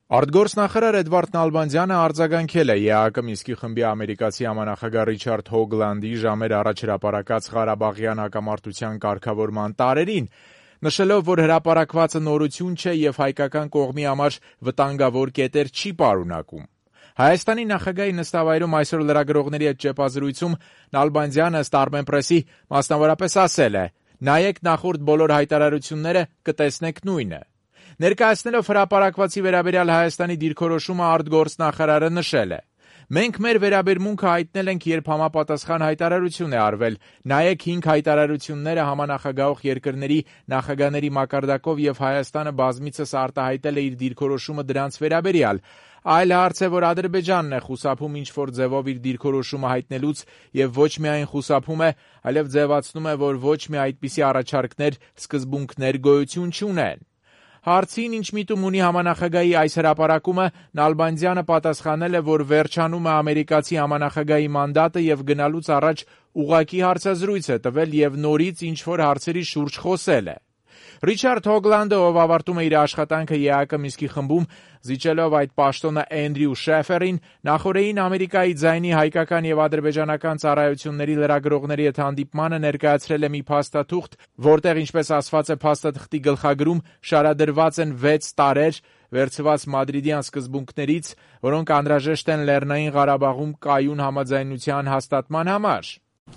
Արտգործնախարար Էդվարդ Նալբանդյանը արձագանքել է ԵԱՀԿ Մինսկի խմբի ամերիկացի համանախագահ Ռիչարդ Հոգլանդի ժամեր առաջ հրապարակած Ղարաբաղյան հակամարտության կարգավորման տարերին, նշելով, որ հրապարակվածը նորություն չէ եւ հայկական կողմի համար վտանգավոր կետեր չի պարունակում։ Հայաստանի նախագահի նստավայրում այսօր լրագրողների հետ ճեպազրույցում Նալբանդյանը ըստ Armenpress-ի մասնավորապես ասել է. «Նայեք նախորդ բոլոր հայտարարությունները, կտեսնեք նույնը»։ Ներկայացնելով հրապարակվածի վերաբերյալ Հայաստանի դիրքորոշումը արտգործնախարարը նշել է. «Մենք մեր վերաբերմունքը հայտնել ենք, երբ համապատասխան հայտարարություն է արվել։ Նայեք 5 հայտարարությունները համանախագահող երկրների նախագահների մակարդակով եւ Հայաստանը բազմիցս արտահայտել է իր դիրքորոշումը դրանց վերաբերյալ։ Այլ հարց է, որ Ադրբեջանն է խուսափում ինչ-որ ձևով իր դիրքորոշումը հայտնելուց եւ ոչ միայն խուսափում է, այլև ձևացնում է, որ ոչ մի այդպիսի առաջարկներ, սկզբունքներ գոյություն չունեն»։ Հարցին, ինչ միտում ունի համանախագահի այս հրապարակումը, Նալբանդյանը պատասխանել է, որ վերջանում է ամերիկացի համանախագահի մանդատը եւ գնալուց առաջ ուղղակի հարցազրույց է տվել եւ նորից ինչ-որ հարցերի շուրջ խոսել է։ Ռիչարդ Հոգլանդը, ով ավարտում է իր աշխատանքը ԵԱՀԿ Մինսկի խմբում, զիջելով այդ պաշտոնը Էնդրյու Շեֆերին, նախորդին Ամերիկայի ձայնի հայկական եւ ադրբեջանական ծառայությունների լրագրողների հետ հանդիպմանը ներկայացրել է մի փաստաթուղթ, որտեղ, ինչպես ասված է փաստաթղթի գլխագրում, շարադրված են 6 տարեր վերցված մադրիդյան սկզբունքներից, որոնք անհրաժեշտ են Լեռնային Ղարաբաղում կայուն համաձայնության հաստատման համար։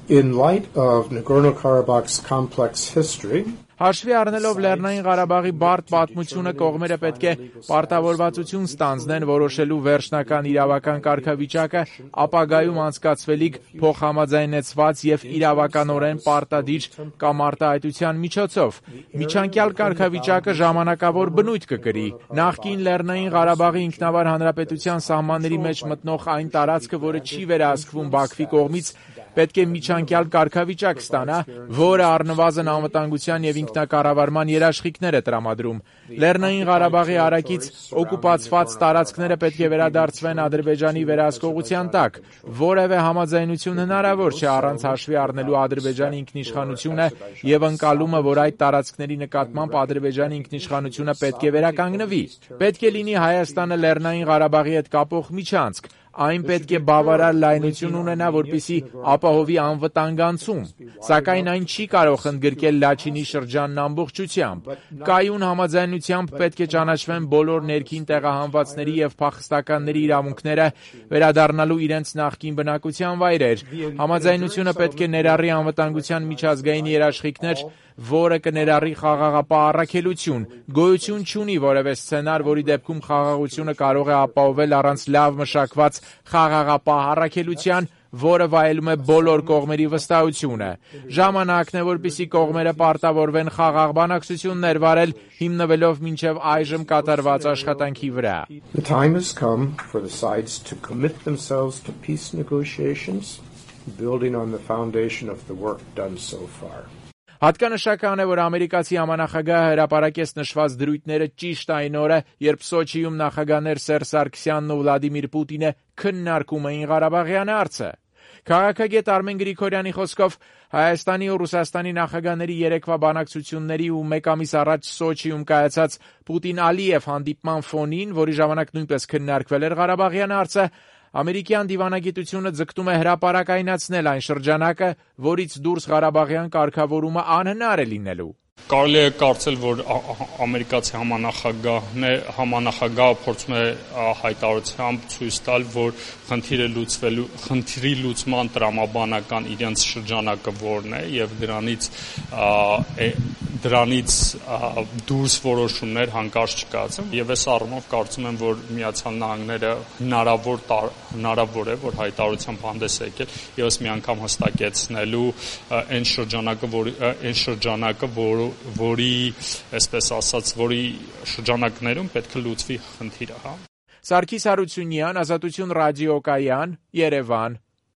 In light of Nagorno-Karabakh's complex history, Հաշվի առնելով Լեռնային Ղարաբաղի բարդ պատմությունը, կողմերը պետք է պարտավորվածություն ստանձնեն որոշելու վերջնական իրավական կարգավիճակը ապագայում անցկացվելիք փոխհամաձայնեցված եւ իրավականորեն պարտադիր կամ արտահայտության միջոցով։ Միջանկյալ կարգավիճակը ժամանակավոր բնույթ կկրի։ Նախկին Լեռնային Ղարաբաղի ինքնավար հանրապետության սահմանների մեջ մտնող այն տարածքը, որը չի վերահսկվում Բաքվի կողմից, պետք է միջանկյալ կարգավիճակ ստանա, որը առնվազն անվտանգության եւ ինքնակառավարման երաշխիքներ է տրամադրում։ Լեռնային Ղարաբաղի հարակից օկուպացված տարածքները պետք է վերադարձվեն Ադրբեջանի վերահսկողության տակ։ Որևէ համաձայնություն հնարավոր չէ առանց հաշվի առնելու Ադրբեջանի ինքնիշխանությունը եւ ընկալումը, որ այդ տարածքների նկատմամբ Ադրբեջանի ինքնիշխանությունը պետք է վերականգնվի։ Պետք է լինի Հայաստանը Լեռնային Ղարաբաղի հետ կապող միջանցք։ Այն պետք է բավարար լայնություն ունենա, որպեսզի ապահովի անվտանգ անցում, սակայն այն չի կարող ընդգրկել Լաչինի շրջանն ամբողջությամբ։ Կայուն համաձայնությամբ պետք է ճանաչվեն բոլոր ներքին տեղահանվածների եւ փախստականների իրավունքները, վերադառնալու իրենց նախկին բնակության վայրեր։ Համաձայնությունը պետք է ներառի անվտանգության միջազգային երաշխիքներ, որը կներառի խաղաղապահ առաքելություն։ Գոյություն չունի որևէ սցենար, որի դեպքում խաղաղությունը կարող է ապահովել առանց լավ մշակված խաղաղապահ առաքելության, որը վայելում է բոլոր կողմերի վստահությունը։ Ժամանակն է, որպեսզի կողմերը պարտավորվեն խաղաղ բանակցություններ վարել, հիմնվելով մինչև այժմ կատարված աշխատանքի վրա։ The time has come for the sides to commit themselves to peace negotiations, building on the foundation of the work done so far. Հատկանշական է, որ ամերիկացի համանախագահը հրապարակեց նշված դրույթները ճիշտ այն օրը, երբ Սոչիում նախագահներ Սերժ Սարգսյանն ու Վլադիմիր Պուտինը քննարկում էին Ղարաբաղյան հարցը։ Քաղաքագետ Արմեն Գրիգորյանի խոսքով Հայաստանի ու Ռուսաստանի նախագահների երեկվա բանակցությունների ու մեկ ամիս առաջ Սոչիում կայացած Պուտին-Ալիև հանդիպման ֆոնին, որի ժամանակ նույնպես քննարկվել էր Ղարաբաղյան հարցը, ամերիկյան դիվանագիտությունը ձգտում է հրապարակայնացնել այն շրջանակը, որից դուրս Ղարաբաղյան կարգավորումը անհնար է լինելու։ Կարելի է կարծել, որ ամերիկացի համանախագահը փորձում է հայտարարությամբ ցույց տալ, որ խնդրի լուծման տրամաբանական իրենց շրջանակը որն է եւ դրանից դուրս որոշումներ հանկարծ չկայացան եւ այս առումով կարծում եմ, որ Միացյալ Նահանգները հնարավոր է, որ հայտարարությամբ հանդես է եկել եւս մի անգամ հստակեցնելու այն շրջանակը, որի, այսպես ասած, որի շրջանակներում պետք է լուծվի խնդիրը, հա։ Սարգիս Հարությունյան, Ազատություն ռադիոկայան, Երևան։